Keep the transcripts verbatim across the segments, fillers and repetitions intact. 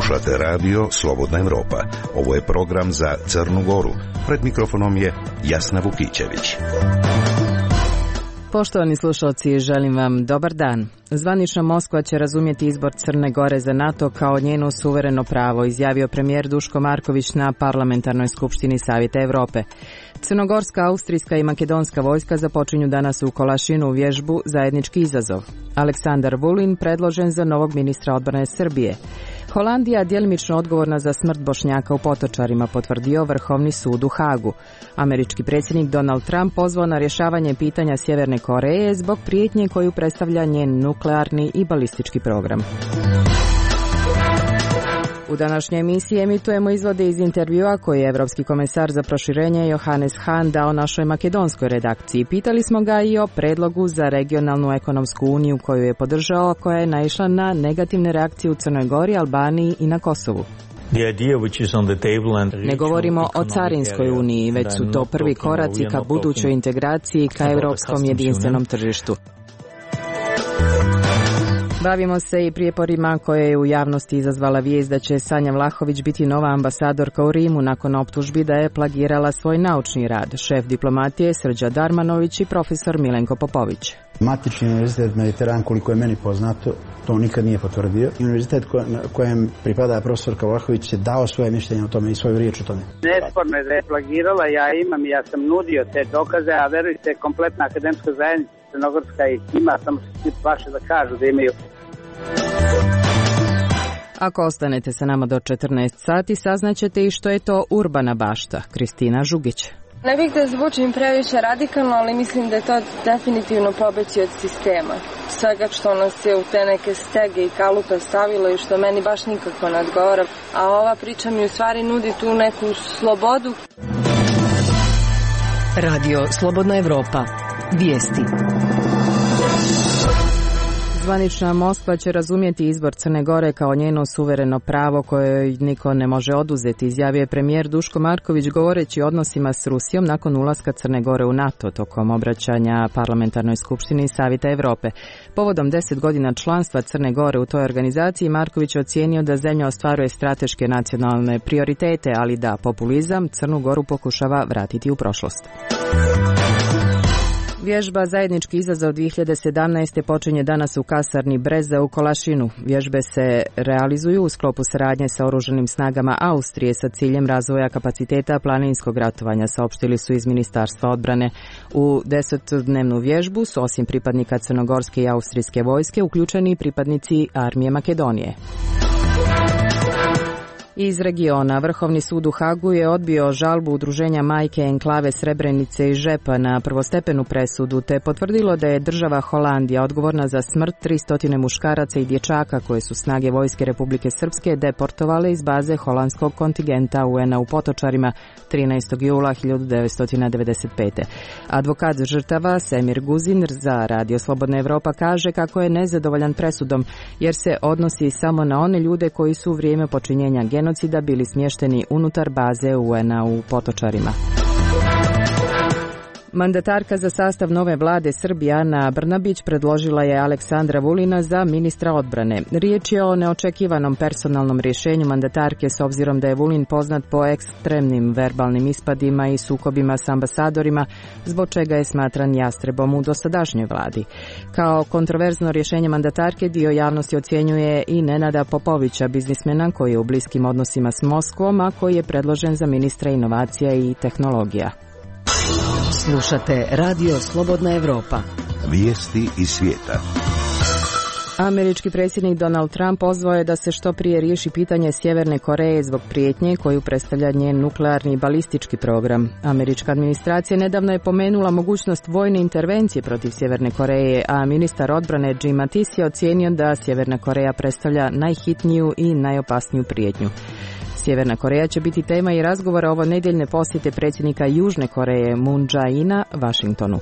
Slušate radio Slobodna Evropa. Ovo je program za Crnu Goru. Pred mikrofonom je Jasna Vukićević. Poštovani slušalci, želim vam dobar dan. Zvanična Moskva će razumjeti izbor Crne Gore za NATO kao njeno suvereno pravo, izjavio premijer Duško Marković na Parlamentarnoj skupštini Savjeta Evrope. Crnogorska, austrijska i makedonska vojska započinju danas u Kolašinu vježbu Zajednički izazov. Aleksandar Vulin predložen za novog ministra odbrane Srbije. Holandija djelimično odgovorna za smrt Bošnjaka u Potočarima, potvrdio Vrhovni sud u Hagu. Američki predsjednik Donald Trump pozvao na rješavanje pitanja Sjeverne Koreje zbog prijetnje koju predstavlja njen nuklearni i balistički program. U današnjoj emisiji emitujemo izvode iz intervjua koji je Evropski komesar za proširenje Johannes Hahn dao našoj makedonskoj redakciji. Pitali smo ga i o predlogu za regionalnu ekonomsku uniju koju je podržao, koja je naišla na negativne reakcije u Crnoj Gori, Albaniji i na Kosovu. Ne govorimo o carinskoj uniji, već su to prvi koraci ka budućoj integraciji ka europskom jedinstvenom tržištu. Bavimo se i prijeporima koje je u javnosti izazvala vijest da će Sanja Vlahović biti nova ambasadorka u Rimu nakon optužbi da je plagirala svoj naučni rad. Šef diplomatije Srđa Darmanović i profesor Milenko Popović. Matični univerzitet Mediteran, koliko je meni poznato, to nikad nije potvrdio. Univerzitet kojem pripada profesorka Vlahović je dao svoje mišljenje o tome i svoju riječ o tome. Nesporno je da je plagirala, ja imam i ja sam nudio te dokaze, a verujte, kompletna akademska zajednica Crnogorska ih ima, samo što ti vaše da kažu da imaju. Ako ostanete sa nama do četrnaest sati, saznaćete i što je to urbana bašta. Kristina Žugić. Ne bih da zvučim previše radikalno, ali mislim da je to definitivno pobeći od sistema. Svega što nas je u te neke stege i kalupe stavilo i što meni baš nikako ne odgovara. A ova priča mi u stvari nudi tu neku slobodu. Radio Slobodna Evropa. Vijesti. Zvanična Moskva će razumjeti izbor Crne Gore kao njeno suvereno pravo koje niko ne može oduzeti, izjavio je premijer Duško Marković govoreći o odnosima s Rusijom nakon ulaska Crne Gore u NATO tokom obraćanja Parlamentarnoj skupštini Savjeta Evrope. Povodom deset godina članstva Crne Gore u toj organizaciji, Marković je ocijenio da zemlja ostvaruje strateške nacionalne prioritete, ali da populizam Crnu Goru pokušava vratiti u prošlost. Vježba Zajednički izazov dvije hiljade sedamnaeste. počinje danas u kasarni Breza u Kolašinu. Vježbe se realizuju u sklopu saradnje sa oružanim snagama Austrije sa ciljem razvoja kapaciteta planinskog ratovanja, saopštili su iz Ministarstva odbrane. U desetdnevnu vježbu su osim pripadnika crnogorske i austrijske vojske uključeni i pripadnici armije Makedonije. Iz regiona, Vrhovni sud u Hagu je odbio žalbu udruženja Majke enklave Srebrenice i Žepa na prvostepenu presudu, te potvrdilo da je država Holandija odgovorna za smrt tristo muškaraca i dječaka koje su snage vojske Republike Srpske deportovale iz baze holandskog kontingenta U N A u Potočarima trinaestog jula hiljadu devetsto devedeset pete. Advokat žrtava Semir Guzin za Radio Slobodna Evropa kaže kako je nezadovoljan presudom jer se odnosi samo na one ljude koji su u vrijeme počinjenja genocida genocida bili smješteni unutar baze U N A u Potočarima. Mandatarka za sastav nove vlade Srbije Ana Brnabić predložila je Aleksandra Vulina za ministra odbrane. Riječ je o neočekivanom personalnom rješenju mandatarke s obzirom da je Vulin poznat po ekstremnim verbalnim ispadima i sukobima s ambasadorima, zbog čega je smatran jastrebom u dosadašnjoj vladi. Kao kontroverzno rješenje mandatarke dio javnosti ocjenjuje i Nenada Popovića, biznismena koji je u bliskim odnosima s Moskvom, a koji je predložen za ministra inovacija i tehnologija. Slušate Radio Slobodna Evropa. Vijesti iz svijeta. Američki predsjednik Donald Trump pozvao je da se što prije riješi pitanje Sjeverne Koreje zbog prijetnje koju predstavlja njen nuklearni i balistički program. Američka administracija nedavno je pomenula mogućnost vojne intervencije protiv Sjeverne Koreje, a ministar odbrane Jim Mattis je ocijenio da Sjeverna Koreja predstavlja najhitniju i najopasniju prijetnju. Sjeverna Koreja će biti tema i razgovora ovo nedjeljne posjete predsjednika Južne Koreje Moon Jae-ina Washingtonu.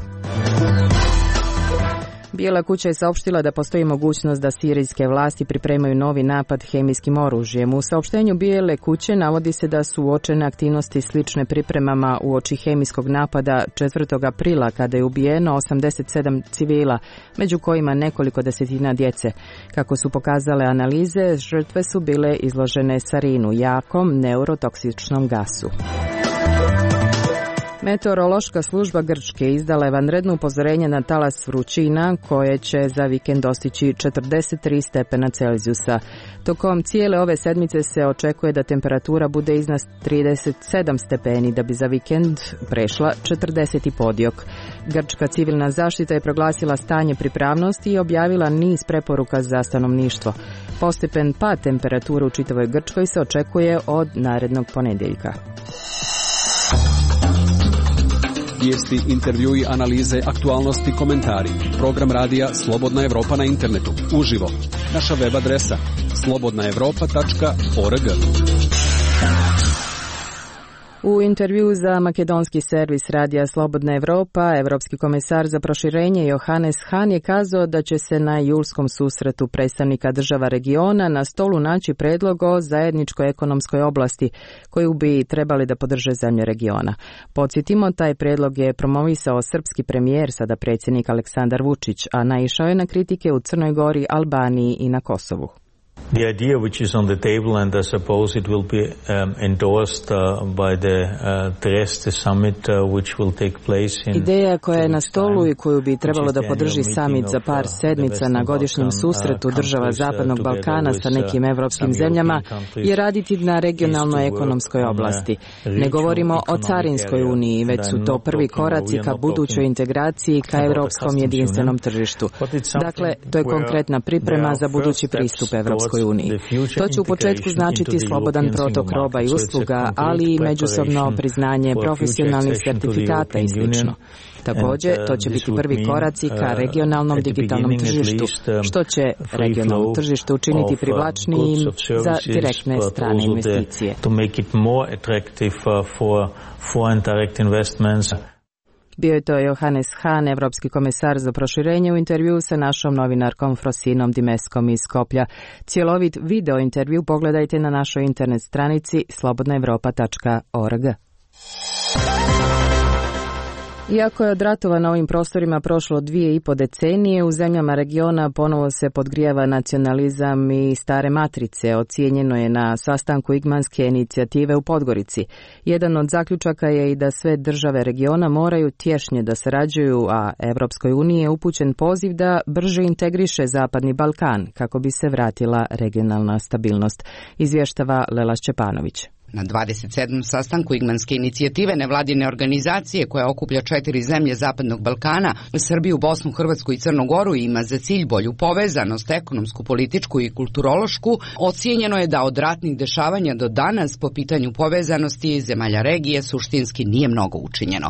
Bijela kuća je saopštila da postoji mogućnost da sirijske vlasti pripremaju novi napad hemijskim oružjem. U saopštenju Bijele kuće navodi se da su uočene aktivnosti slične pripremama uoči hemijskog napada četvrtog aprila kada je ubijeno osamdeset sedam civila, među kojima nekoliko desetina djece. Kako su pokazale analize, žrtve su bile izložene sarinu, jakom neurotoksičnom gasu. Meteorološka služba Grčke izdala je vanredno upozorenje na talas vrućina koje će za vikend dostići četrdeset tri stepena Celzijusa. Tokom cijele ove sedmice se očekuje da temperatura bude iznad trideset sedam stepeni, da bi za vikend prešla četrdeset i podiok. Grčka civilna zaštita je proglasila stanje pripravnosti i objavila niz preporuka za stanovništvo. Postepen pad temperature u čitavoj Grčkoj se očekuje od narednog ponedjeljka. Vijesti, intervjui, analize, aktualnosti, komentari. Program radija Slobodna Evropa na internetu. Uživo. Naša web adresa slobodna evropa tačka org. U intervju za makedonski servis radija Slobodna Evropa, Evropski komesar za proširenje Johannes Hahn je kazao da će se na julskom susretu predstavnika država regiona na stolu naći predlog o zajedničkoj ekonomskoj oblasti koju bi trebali da podrže zemlje regiona. Podsjetimo, taj predlog je promovisao srpski premijer, sada predsjednik Aleksandar Vučić, a naišao je na kritike u Crnoj Gori, Albaniji i na Kosovu. The idea which is on the table, and I suppose it will be um, endorsed uh, by the uh, Trieste summit uh, which will take place in... Ideja koja je na stolu i koju bi trebalo da podrži summit za par sedmica na godišnjem susretu država Zapadnog Balkana sa nekim evropskim zemljama je raditi na regionalnoj ekonomskoj oblasti. Ne govorimo o carinskoj uniji, već su to prvi koraci ka budućoj integraciji ka evropskom jedinstvenom tržištu. Dakle, to je konkretna priprema za budući pristup Evropskoj uniji. To će u početku značiti slobodan protok roba i usluga, ali i međusobno priznanje profesionalnih sertifikata i sl. Također, to će biti prvi koraci ka regionalnom digitalnom tržištu, što će regionalno tržište učiniti privlačnijim za direktne strane investicije. Bio je to Johannes Hahn, evropski komesar za proširenje, u intervju sa našom novinarkom Frosinom Dimeskom iz Skoplja. Cjelovit video intervju pogledajte na našoj internet stranici slobodna evropa tačka org. Iako je od ratova na ovim prostorima prošlo dvije i po decenije, u zemljama regiona ponovo se podgrijava nacionalizam i stare matrice. Ocijenjeno je na sastanku Igmanske inicijative u Podgorici. Jedan od zaključaka je i da sve države regiona moraju tješnje da sarađuju, a Evropskoj uniji je upućen poziv da brže integriše Zapadni Balkan kako bi se vratila regionalna stabilnost. Izvještava Lela Šćepanović. Na dvadeset sedmom sastanku Igmanske inicijative nevladine organizacije koja okuplja četiri zemlje Zapadnog Balkana, Srbiju, Bosnu, Hrvatsku i Crnu Goru, ima za cilj bolju povezanost, ekonomsku, političku i kulturološku, ocijenjeno je da od ratnih dešavanja do danas po pitanju povezanosti zemalja regije suštinski nije mnogo učinjeno.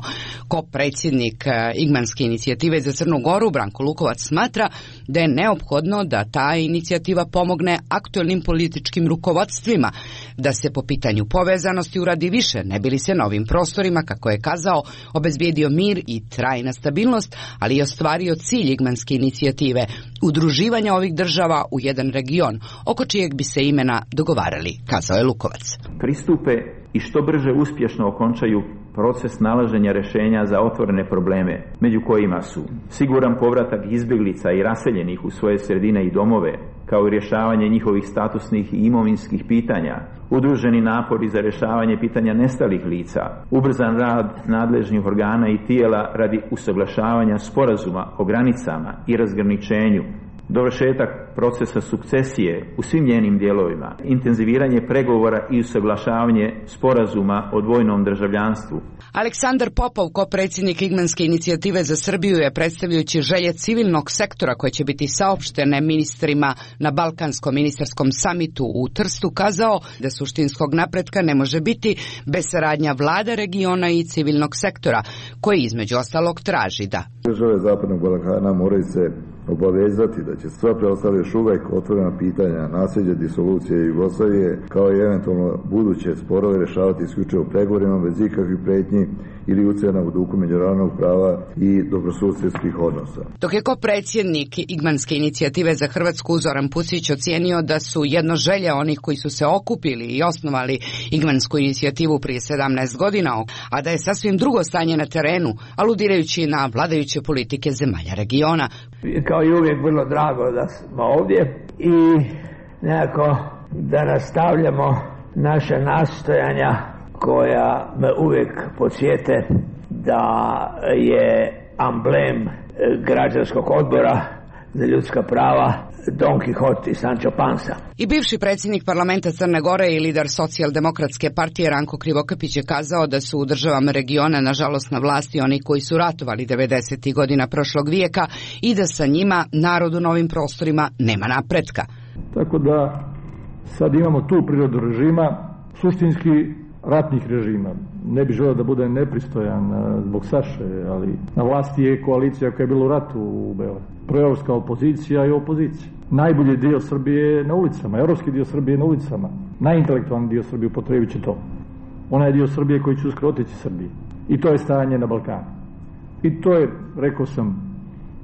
Ko predsjednik Igmanske inicijative za Crnu Goru, Branko Lukovac, smatra da je neophodno da ta inicijativa pomogne aktuelnim političkim rukovodstvima da se po pitanju povezanosti uradi više, ne bi li se novim prostorima, kako je kazao, obezbijedio mir i trajna stabilnost, ali i ostvario cilj Igmanske inicijative, udruživanja ovih država u jedan region, oko čijeg bi se imena dogovarali, kazao je Lukovac. Pristupe i što brže uspješno okončaju proces nalaženja rješenja za otvorene probleme, među kojima su siguran povratak izbjeglica i raseljenih u svoje sredine i domove, kao i rješavanje njihovih statusnih i imovinskih pitanja, udruženi napori za rješavanje pitanja nestalih lica, ubrzan rad nadležnih organa i tijela radi usaglašavanja sporazuma o granicama i razgraničenju, dovršetak procesa sukcesije u svim njenim dijelovima, intenziviranje pregovora i usaglašavanje sporazuma o dvojnom državljanstvu. Aleksandar Popov, ko predsjednik Igmanske inicijative za Srbiju, je predstavljajući želje civilnog sektora koje će biti saopštene ministrima na Balkanskom ministarskom samitu u Trstu kazao da suštinskog napretka ne može biti bez saradnja vlada regiona i civilnog sektora, koji između ostalog traži da države Zapadnog Balkana moraju se obavezati da će sva preostale još uvek otvorena pitanja nasljeđa disolucije Jugoslavije kao i eventualno buduće sporove rešavati isključivo pregovorima bez ikakvih pretnji ili ucena u duhu međunarodnog prava i dobrosusjedskih odnosa. Dok je ko predsjednik Igmanske inicijative za Hrvatsku Zoran Pusić ocijenio da su jedno želje onih koji su se okupili i osnovali Igmansku inicijativu prije sedamnaest godina, a da je sasvim drugo stanje na terenu, aludirajući na vladajuće politike zemalja regiona. Kao i uvijek vrlo drago da smo ovdje i nekako da nastavljamo naše nastojanja koja me uvijek podsjete da je amblem građanskog odbora za ljudska prava Don Quixote i Sancho Panza. I bivši predsjednik parlamenta Crne Gore i lider socijaldemokratske partije Ranko Krivokapić je kazao da su u državama regiona nažalost na vlasti oni koji su ratovali devedesetih godina prošlog vijeka i da sa njima narod u novim prostorima nema napretka. Tako da sad imamo tu prirodu režima, suštinski ratnih režima. Ne bih želeo da bude nepristojan zbog Saše, ali na vlasti je koalicija koja je bila u ratu u Beogradu. Proevropska opozicija i opozicija. Najbolji dio Srbije je na ulicama, evropski dio Srbije je na ulicama. Najintelektualni dio Srbije upotrebit će to. Onaj dio Srbije koji će uskoro otići Srbiji. I to je stanje na Balkanu. I to je, rekao sam,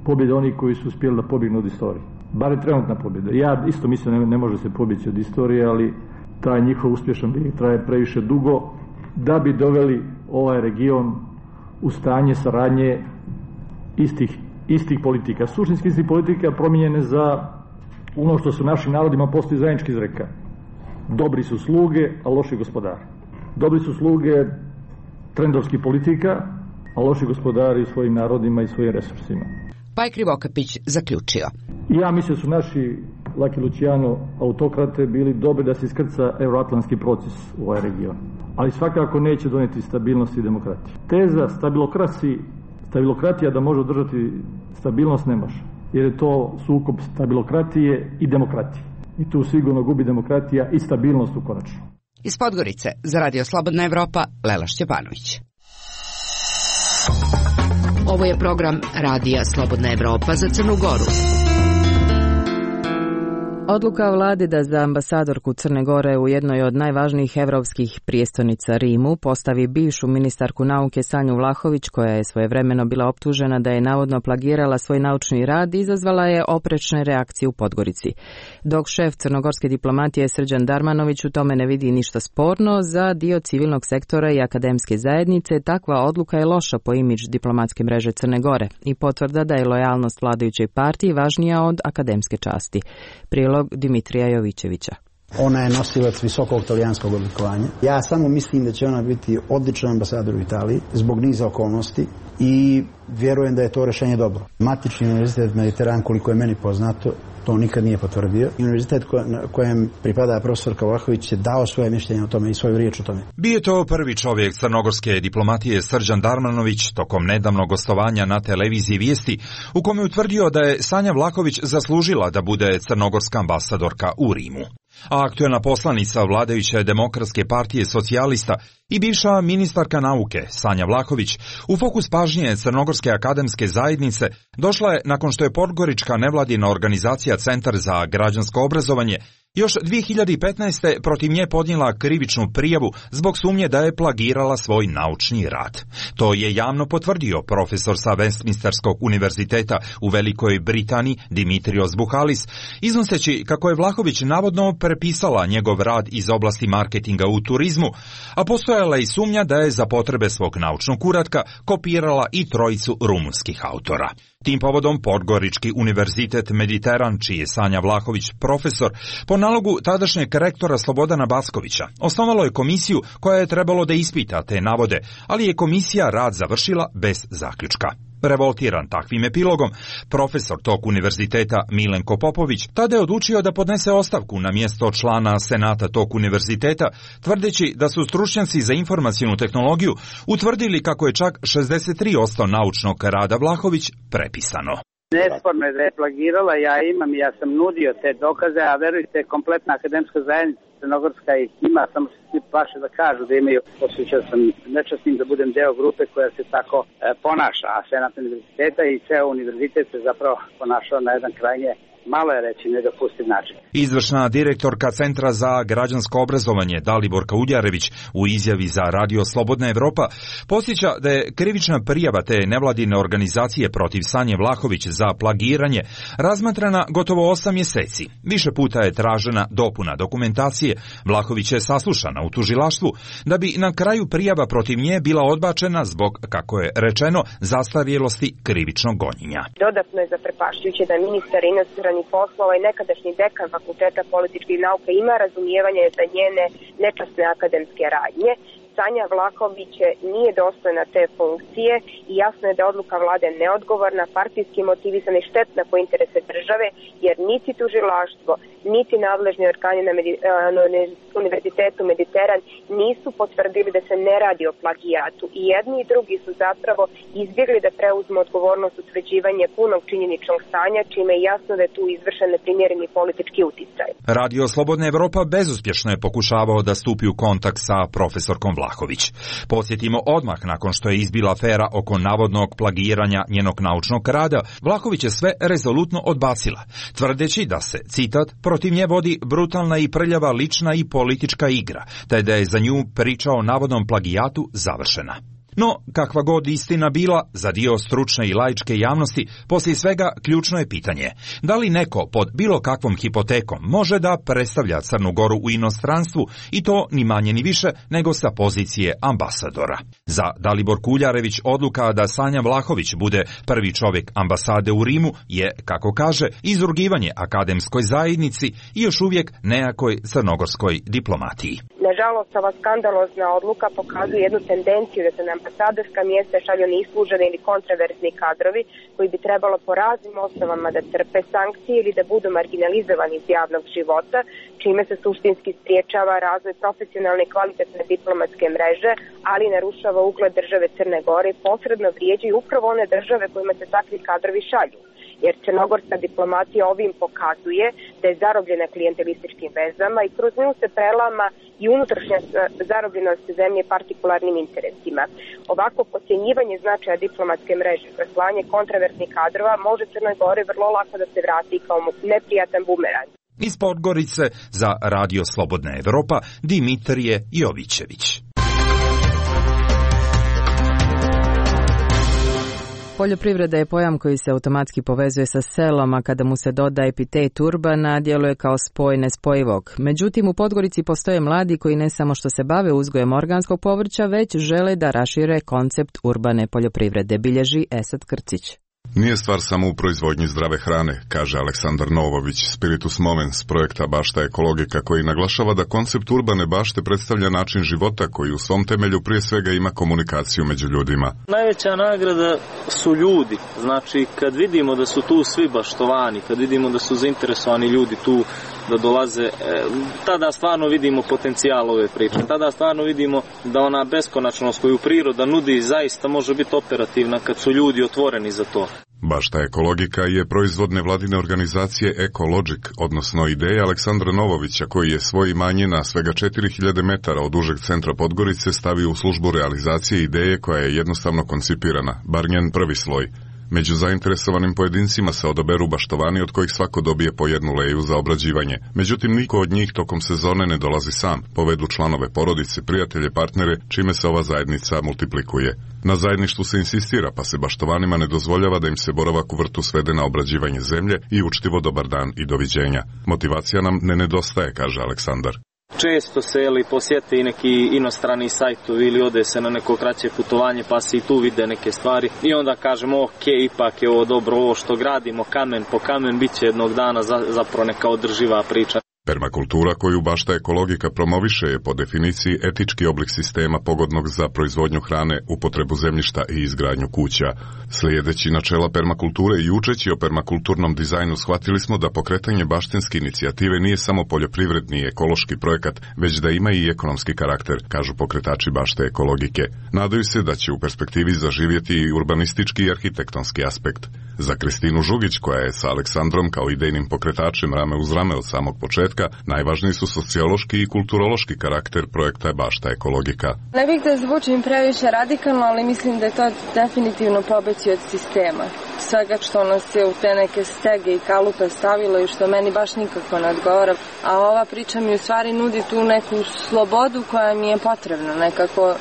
pobjeda onih koji su uspjeli da pobjegnu od istorije. Bar je trenutna pobjeda. Ja isto mislim ne, ne može se pobjeći od istorije, ali taj njihov uspješan bijeg traje previše dugo da bi doveli ovaj region u stanje saradnje istih, istih politika. Suštinski istih politika promijenjene za ono što su našim narodima postoji zajednički izreka. Dobri su sluge, a loši gospodari. Dobri su sluge trendovskih politika, a loši gospodari svojim narodima i svojim resursima. Pa je Krivokapić zaključio. Ja mislim da su naši Laki Luciano autokrate bili dobri da se iskrca euroatlantski proces u ovaj region. Ali svakako neće doneti stabilnost i demokratiju. Teza stabilokrasi, stabilokratija da može održati stabilnost ne može. Jer je to sukob stabilokratije i demokratije. I tu sigurno gubi demokratija i stabilnost u konačnu. Iz Podgorice za Radio Slobodna Evropa, Lela Šćepanović. Ovo je program Radija Slobodna Evropa za Crnu Goru. Odluka vlade da za ambasadorku Crne Gore u jednoj od najvažnijih evropskih prijestolnica Rimu postavi bivšu ministarku nauke Sanju Vlahović, koja je svojevremeno bila optužena da je navodno plagirala svoj naučni rad, izazvala je oprečne reakcije u Podgorici. Dok šef crnogorske diplomatije Srđan Darmanović u tome ne vidi ništa sporno, za dio civilnog sektora i akademske zajednice takva odluka je loša po imidž diplomatske mreže Crne Gore i potvrda da je lojalnost vladajućoj partiji važnija od akademske časti. Prilog Dimitrija Jovićevića. Ona je nosilac visokog talijanskog odlikovanja. Ja samo mislim da će ona biti odličan ambasador u Italiji zbog niza okolnosti i vjerujem da je to rješenje dobro. Matični univerzitet Mediteran, koliko je meni poznato, to nikad nije potvrdio. Univerzitet kojem pripada profesorka Vlahović je dao svoje mišljenje o tome i svoju riječ o tome. Bio je to prvi čovjek crnogorske diplomatije Srđan Darmanović tokom nedavnog gostovanja na televiziji Vijesti, u kome je utvrdio da je Sanja Vlahović zaslužila da bude crnogorska ambasadorka u Rimu. A aktuelna poslanica vladajuće demokratske partije socijalista i bivša ministarka nauke Sanja Vlahović u fokus pažnje Crnogorske akademske zajednice došla je nakon što je podgorička nevladina organizacija Centar za građansko obrazovanje još dvije hiljade petnaeste. protiv nje podnijela krivičnu prijavu zbog sumnje da je plagirala svoj naučni rad. To je javno potvrdio profesor sa Westminsterskog univerziteta u Velikoj Britaniji Dimitrios Buhalis, iznoseći kako je Vlahović navodno prepisala njegov rad iz oblasti marketinga u turizmu, a postojala i sumnja da je za potrebe svog naučnog uratka kopirala i trojicu rumunskih autora. Tim povodom Podgorički univerzitet Mediteran, čiji je Sanja Vlahović profesor, po nalogu tadašnjeg rektora Slobodana Baskovića, osnovalo je komisiju koja je trebalo da ispita te navode, ali je komisija rad završila bez zaključka. Revoltiran takvim epilogom, profesor tog univerziteta Milenko Popović tada je odlučio da podnese ostavku na mjesto člana senata tog univerziteta, tvrdeći da su stručnjaci za informacionu tehnologiju utvrdili kako je čak šezdeset tri posto naučnog rada Vlahović prepisano. Nesporno je da je plagirala, ja imam, ja sam nudio te dokaze, a verujte, kompletna akademska zajednica Crnogorska ih ima, samo se svi plaše da kažu da imaju. Osjećao sam nečasnim da budem deo grupe koja se tako e, ponaša, a Senat univerziteta i ceo univerzitet se zapravo ponašao na jedan krajnje, malo je reći, nedopustiv način. Izvršna direktorka Centra za građansko obrazovanje Daliborka Uljarević u izjavi za Radio Slobodna Evropa podsjeća da je krivična prijava te nevladine organizacije protiv Sanje Vlahović za plagiranje razmatrana gotovo osam mjeseci. Više puta je tražena dopuna dokumentacije. Vlahović je saslušana u tužilaštvu da bi na kraju prijava protiv nje bila odbačena zbog, kako je rečeno, zastarjelosti krivičnog gonjenja. Dodatno je zaprepašćujuće da ministar inostranih poslova i nekadašnji dekan Fakulteta političkih nauka ima razumijevanje za njene nečasne akademske radnje. Sanja Vlahović nije dostojna te funkcije i jasno je da odluka vlade neodgovorna, partijski motivisana i štetna po interese države, jer niti tužilaštvo, niti nadležni organi na, Medi, na Univerzitetu Mediteran nisu potvrdili da se ne radi o plagijatu. I jedni i drugi su zapravo izbjegli da preuzmu odgovornost utvrđivanje punog činjeničnog stanja, čime je jasno da je tu izvršen neprimjereni politički uticaj. Radio Slobodna Evropa bezuspješno je pokušavao da stupi u kontakt sa profesorkom Vlahović. Podsjetimo, odmah nakon što je izbila afera oko navodnog plagiranja njenog naučnog rada, Vlahović je sve rezolutno odbacila, tvrdeći da se, citat, protiv nje vodi brutalna i prljava lična i politička igra, te da je za nju priča o navodnom plagijatu završena. No, kakva god istina bila, za dio stručne i laičke javnosti, poslije svega ključno je pitanje, da li neko pod bilo kakvom hipotekom može da predstavlja Crnu Goru u inostranstvu i to ni manje ni više nego sa pozicije ambasadora. Za Dalibor Kuljarević odluka da Sanja Vlahović bude prvi čovjek ambasade u Rimu je, kako kaže, izrugivanje akademskoj zajednici i još uvijek nejakoj crnogorskoj diplomatiji. Nažalost, ova skandalozna odluka pokazuje jednu tendenciju da se na ambasadorska mjesta šalju neisluženi ili kontraverzni kadrovi koji bi trebalo po raznim osnovama da trpe sankcije ili da budu marginalizovani iz javnog života, čime se suštinski spriječava razvoj profesionalne i kvalitetne diplomatske mreže, ali narušava ugled države Crne Gore i posredno vrijeđaju upravo one države kojima se takvi kadrovi šalju. Jer crnogorska diplomatija ovim pokazuje da je zarobljena klijentelističkim vezama i kroz nju se prelama i unutrašnja zarobljenost zemlje partikularnim interesima. Ovako podcjenjivanje značaja diplomatske mreže kroz slanje kontraverznih kadrova može Crnoj Gori vrlo lako da se vrati kao neprijatan bumerang. Iz Podgorice za Radio Slobodna Evropa Dimitrije Jovićević. Poljoprivreda je pojam koji se automatski povezuje sa selom, a kada mu se doda epitet urbana, djeluje kao spoj nespojivog. Međutim, u Podgorici postoje mladi koji ne samo što se bave uzgojem organskog povrća, već žele da rašire koncept urbane poljoprivrede, bilježi Esad Krcić. Nije stvar samo u proizvodnji zdrave hrane, kaže Aleksandar Novović, Spiritus Movens projekta Bašta ekologika, koji naglašava da koncept urbane bašte predstavlja način života koji u svom temelju prije svega ima komunikaciju među ljudima. Najveća nagrada su ljudi, znači kad vidimo da su tu svi baštovani, kad vidimo da su zainteresovani ljudi tu da dolaze, e, tada stvarno vidimo potencijal ove priče, tada stvarno vidimo da ona beskonačnost koju priroda nudi zaista može biti operativna kad su ljudi otvoreni za to. Bašta ekologika je proizvod nevladine organizacije Ecologic, odnosno ideja Aleksandra Novovića, koji je svoje imanje na svega četiri hiljade metara od užeg centra Podgorice stavio u službu realizacije ideje koja je jednostavno koncipirana, bar njen prvi sloj. Među zainteresovanim pojedincima se odaberu baštovani od kojih svako dobije po jednu leju za obrađivanje. Međutim, niko od njih tokom sezone ne dolazi sam, povedu članove porodice, prijatelje, partnere, čime se ova zajednica multiplikuje. Na zajedništvu se insistira, pa se baštovanima ne dozvoljava da im se boravak u vrtu svede na obrađivanje zemlje i učtivo dobar dan i doviđenja. Motivacija nam ne nedostaje, kaže Aleksandar. Često se ili posjete i neki inostrani sajtovi ili ode se na neko kraće putovanje pa se i tu vide neke stvari i onda kažemo ok, ipak je ovo dobro, ovo što gradimo kamen po kamen bit će jednog dana zapravo neka održiva priča. Permakultura koju Bašta ekologika promoviše je po definiciji etički oblik sistema pogodnog za proizvodnju hrane, upotrebu zemljišta i izgradnju kuća. Slijedeći načela permakulture i učeći o permakulturnom dizajnu shvatili smo da pokretanje baštinske inicijative nije samo poljoprivredni i ekološki projekat, već da ima i ekonomski karakter, kažu pokretači Bašte ekologike. Nadaju se da će u perspektivi zaživjeti i urbanistički i arhitektonski aspekt. Za Kristinu Žugić, koja je sa Aleksandrom kao idejnim pokretačem rame uz rame od samog početka, podatka, najvažniji su sociološki i kulturološki karakter projekta Bašta ekologika. Ne bih da zvučim previše radikalno, ali mislim da je to definitivno pobeći od sistema. Svega što nas je u te neke stege i kalupe stavilo i što meni baš nikako ne odgovara. A ova priča mi u stvari nudi tu neku slobodu koja mi je potrebna, nekako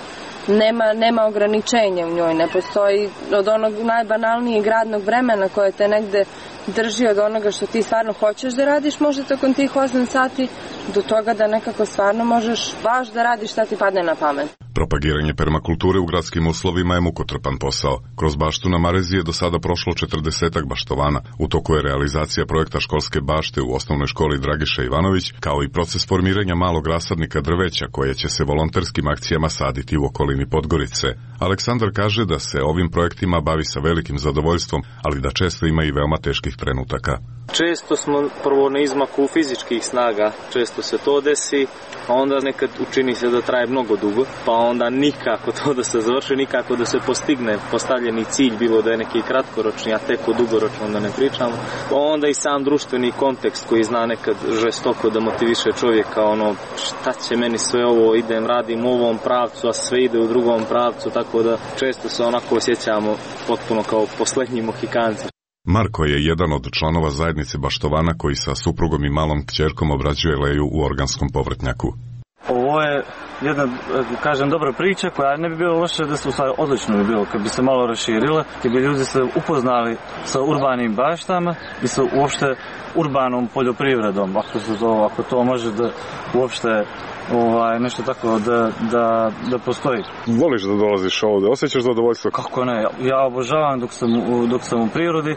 nema, nema ograničenja u njoj, ne postoji od onog najbanalnijeg radnog vremena koje te negde drži od onoga što ti stvarno hoćeš da radiš možda tokom tih osam sati do toga da nekako stvarno možeš baš da radiš šta ti padne na pamet. Propagiranje permakulture u gradskim uslovima je mukotrpan posao. Kroz baštu na Marezi je do sada prošlo četrdesetak baštovana. U toku je realizacija projekta školske bašte u osnovnoj školi Dragiša Ivanović, kao i proces formiranja malog rasadnika drveća koje će se volonterskim akcijama saditi u okolini Podgorice. Aleksandar kaže da se ovim projektima bavi sa velikim zadovoljstvom, ali da često ima i veoma teških trenutaka. Često smo prvo na izmaku fizičkih snaga, često se to desi, a onda nekad učini se da traje mnogo dugo, pa onda nikako to da se završi, nikako da se postigne postavljeni cilj, bilo da je neki kratkoročni, a tek o dugoročno da ne pričamo. Pa onda i sam društveni kontekst koji zna nekad žestoko da motiviše čovjeka, ono šta će meni sve ovo, idem, radim u ovom pravcu, a sve ide u drugom pravcu, tako da često se onako osjećamo potpuno kao poslednji Mohikanci. Marko je jedan od članova zajednice baštovana koji sa suprugom i malom kćerkom obrađuje leju u organskom povrtnjaku. Ovo je jedna, kažem, dobra priča koja ne bi bilo loše da se u stvari odlično bi bilo kad bi se malo raširile, kad bi ljudi se upoznali sa urbanim baštama i sa uopšte urbanom poljoprivredom, ako, se to, ako to može da uopšte ovaj, nešto tako da, da, da postoji. Voliš da dolaziš ovde? Osjećaš zadovoljstvo? Kako ne? Ja obožavam dok sam, dok sam u prirodi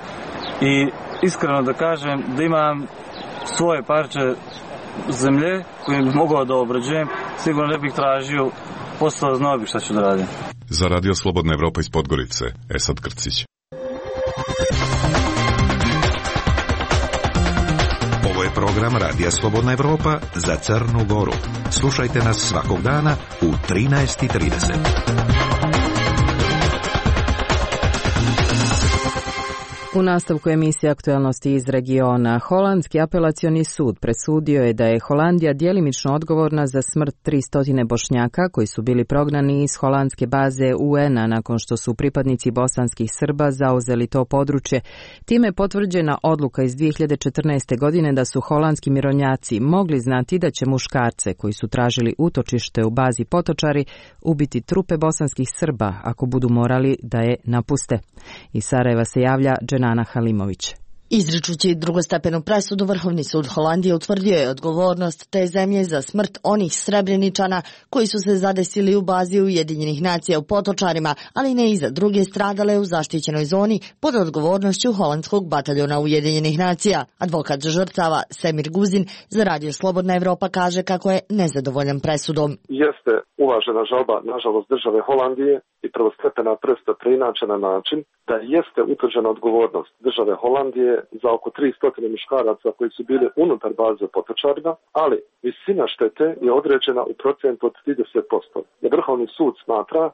i iskreno da kažem da imam svoje parče zemlje koje bih mogao da obrađujem, sigurno ne bih tražio posao, znao bih šta ću da radim. Za Radio Slobodna Evropa iz Podgorice, Esad Krcić. Ovo je program Radija Slobodna Evropa za Crnu Goru. Slušajte nas svakog dana u trinaest i trideset. U nastavku emisije Aktualnosti iz regiona, Holandski apelacioni sud presudio je da je Holandija djelimično odgovorna za smrt tristo Bošnjaka koji su bili prognani iz holandske baze U N-a nakon što su pripadnici bosanskih Srba zauzeli to područje. Time je potvrđena odluka iz dvije hiljade četrnaeste. godine da su holandski mirovnjaci mogli znati da će muškarce koji su tražili utočište u bazi Potočari ubiti trupe bosanskih Srba ako budu morali da je napuste. Iz Sarajeva se javlja Nana Halimović. Izričući drugostepenu presudu, Vrhovni sud Holandije utvrdio je odgovornost te zemlje za smrt onih Srebreničana koji su se zadesili u bazi Ujedinjenih nacija u Potočarima, ali ne i za druge stradale u zaštićenoj zoni pod odgovornošću holandskog bataljona Ujedinjenih nacija. Advokat žrtava Semir Guzin za Radio Slobodna Evropa kaže kako je nezadovoljan presudom. Jeste uvažena žalba, nažalost, države Holandije i prvostepena presuda preinačena na način da jeste utvrđena odgovornost države Holandije za oko tristo muškaraca koji su bili unutar baze Potočarima, ali visina štete je određena u procentu od trideset posto. Jer Vrhovni sud smatra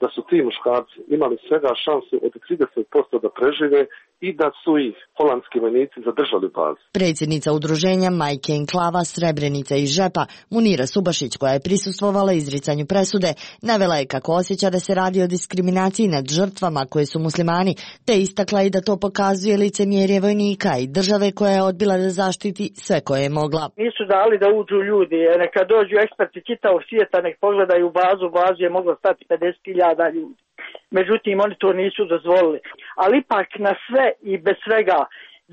da su ti muškarci imali svega šansu od trideset posto da prežive i da su ih holandski vojnici zadržali u bazi. Predsjednica udruženja Majke Enklava Srebrenica i Žepa, Munira Subašić, koja je prisustvovala izricanju presude, navela je kako osjeća da se radi o diskriminaciji nad žrtvama koje su muslimani, te istakla i da to pokazuje licemjerje vojnika i države koja je odbila da zaštiti sve koje je mogla. Nisu dali da uđu ljudi, neka dođu eksperti čitavog svijeta, nek pogledaju bazu, bazu je moglo stati pedeset hiljada ljudi. Međutim, oni to nisu dozvolili. Ali ipak na sve i bez svega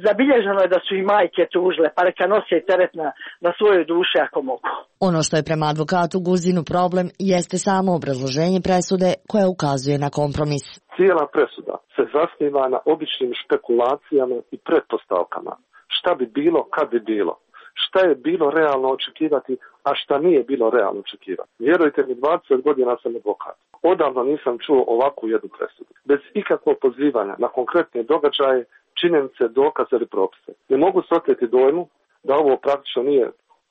zabilježeno je da su i majke tužile, pa neka nose teret na, na svoje duše ako mogu. Ono što je prema advokatu Guzinu problem jeste samo obrazloženje presude koje ukazuje na kompromis. Cijela presuda se zasniva na običnim špekulacijama i pretpostavkama. Šta bi bilo kad bi bilo? Šta je bilo realno očekivati, a šta nije bilo realno očekivati? Vjerujte mi, dvadeset godina sam advokat. Odavno nisam čuo ovakvu jednu presudu. Bez ikakvog pozivanja na konkretne događaje, činjenice, dokaze ili propise. Ne mogu se oteti dojmu da ovo praktično nije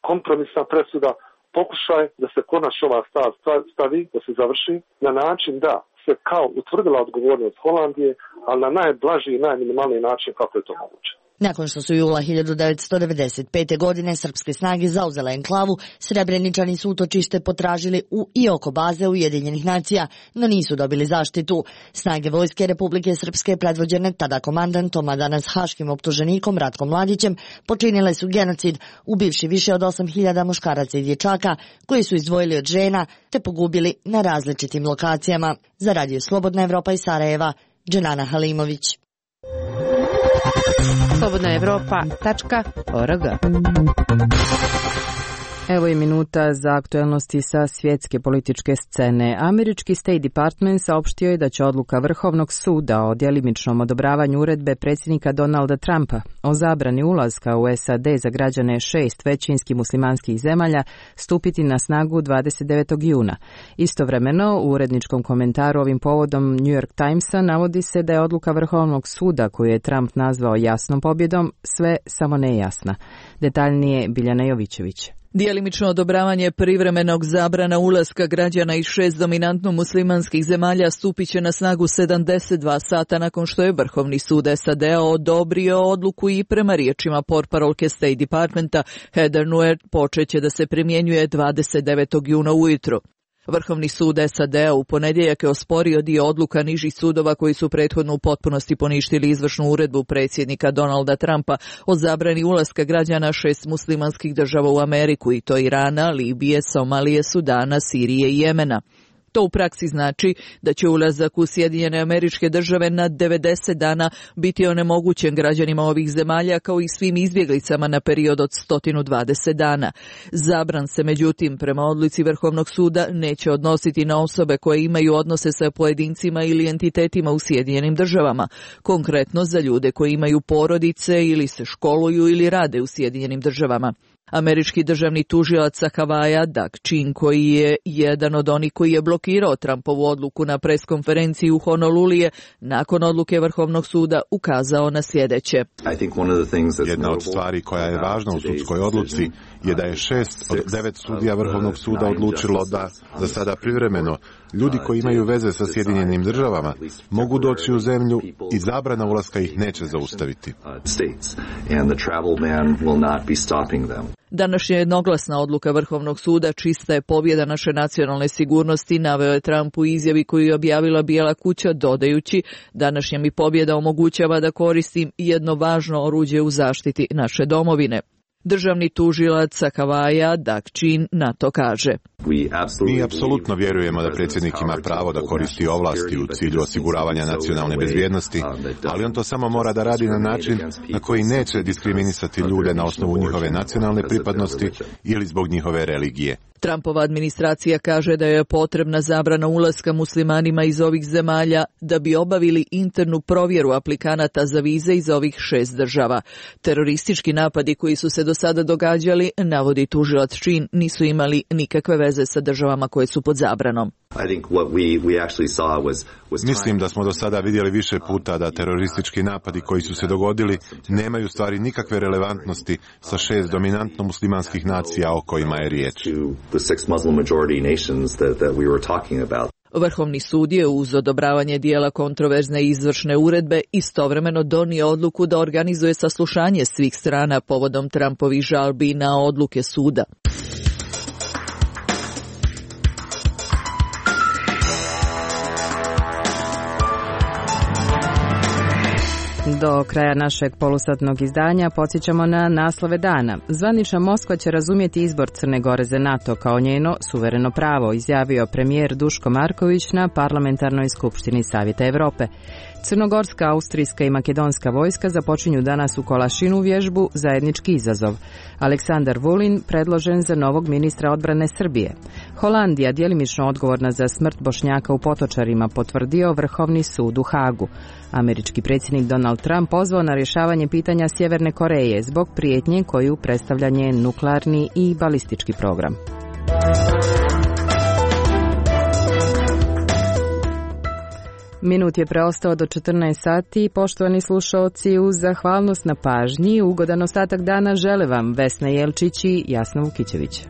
kompromisna presuda, pokušaj da se konačno ova stav stavi, da se završi na način da se kao utvrdila odgovornost Holandije, ali na najblaži i najminimalniji način kako je to moguće. Nakon što su jula hiljadu devetsto devedeset pete. godine srpske snage zauzele enklavu, Srebreničani su utočište potražili u i oko baze Ujedinjenih nacija, no nisu dobili zaštitu. Snage Vojske Republike Srpske, predvođene tada komandantom, a danas haškim optuženikom Ratkom Mladićem, počinile su genocid, ubivši više od osam hiljada muškaraca i dječaka, koji su izdvojili od žena, te pogubili na različitim lokacijama. Za Radio Slobodna Evropa iz Sarajeva, Dženana Halimović. slobodna evropa tačka org. Evo je minuta za aktuelnosti sa svjetske političke scene. Američki State Department saopštio je da će odluka Vrhovnog suda o djelimičnom odobravanju uredbe predsjednika Donalda Trumpa o zabrani ulaska u S A D za građane šest većinskih muslimanskih zemalja stupiti na snagu dvadeset devetog juna. Istovremeno, u uredničkom komentaru ovim povodom New York Timesa navodi se da je odluka Vrhovnog suda koju je Trump nazvao jasnom pobjedom sve samo nejasna. Detaljnije Biljana Jovićević. Djelimično odobravanje privremenog zabrana ulaska građana iz šest dominantno muslimanskih zemalja stupit će na snagu sedamdeset dva sata nakon što je Vrhovni sud S A D-a odobrio odluku i prema riječima portparolke State Departmenta Heather Nauert počeće da se primjenjuje dvadeset devetog juna ujutro. Vrhovni sud S A D-a u ponedjeljak je osporio dio odluka nižih sudova koji su prethodno u potpunosti poništili izvršnu uredbu predsjednika Donalda Trumpa o zabrani ulaska građana šest muslimanskih država u Ameriku, i to Irana, Libije, Somalije, Sudana, Sirije i Jemena. To u praksi znači da će ulazak u Sjedinjene Američke Države na devedeset dana biti onemogućen građanima ovih zemalja kao i svim izbjeglicama na period od sto dvadeset dana. Zabran se međutim prema odluci Vrhovnog suda neće odnositi na osobe koje imaju odnose sa pojedincima ili entitetima u Sjedinjenim Državama, konkretno za ljude koji imaju porodice ili se školuju ili rade u Sjedinjenim Državama. Američki državni tužilac sa Havaja, Doug Chin, koji je jedan od onih koji je blokirao Trumpovu odluku na preskonferenciji u Honolulu, je nakon odluke Vrhovnog suda ukazao na sljedeće. Jedna od stvari koja je važna u sudskoj odluci je da je šest od devet sudija Vrhovnog suda odlučilo da, za sada privremeno, ljudi koji imaju veze sa Sjedinjenim Državama mogu doći u zemlju i zabrana ulaska ih neće zaustaviti. Današnja jednoglasna odluka Vrhovnog suda čista je pobjeda naše nacionalne sigurnosti, naveo je Trump u izjavi koju je objavila Bijela kuća, dodajući: današnja mi pobjeda omogućava da koristim jedno važno oruđe u zaštiti naše domovine. Državni tužilac sa Havaja, Doug Chin, na to kaže: Mi apsolutno vjerujemo da predsjednik ima pravo da koristi ovlasti u cilju osiguravanja nacionalne bezbjednosti, ali on to samo mora da radi na način na koji neće diskriminisati ljude na osnovu njihove nacionalne pripadnosti ili zbog njihove religije. Trumpova administracija kaže da je potrebna zabrana ulaska muslimanima iz ovih zemalja da bi obavili internu provjeru aplikanata za vize iz ovih šest država. Teroristički napadi koji su se do sada događali, navodi tužilac Chin, nisu imali nikakve veze sa državama koje su pod zabranom. Mislim da smo do sada vidjeli više puta da teroristički napadi koji su se dogodili nemaju stvari nikakve relevantnosti sa šest dominantno muslimanskih nacija o kojima je riječ. Vrhovni sud je uz odobravanje dijela kontroverzne izvršne uredbe istovremeno donio odluku da organizuje saslušanje svih strana povodom Trumpovih žalbi na odluke suda. Do kraja našeg polusatnog izdanja podsjećamo na naslove dana. Zvanična Moskva će razumjeti izbor Crne Gore za NATO kao njeno suvereno pravo, izjavio premijer Duško Marković na Parlamentarnoj skupštini Savjeta Evrope. Crnogorska, austrijska i makedonska vojska započinju danas u Kolašinu vježbu Zajednički izazov. Aleksandar Vulin predložen za novog ministra odbrane Srbije. Holandija, djelimično odgovorna za smrt Bošnjaka u Potočarima, potvrdio Vrhovni sud u Hagu. Američki predsjednik Donald Trump pozvao na rješavanje pitanja Sjeverne Koreje zbog prijetnje koju predstavlja njen nuklearni i balistički program. Minut je preostao do četrnaest sati. Poštovani slušalci, uz zahvalnost na pažnji, ugodan ostatak dana žele vam Vesna Jelčić i Jasna Vukićević.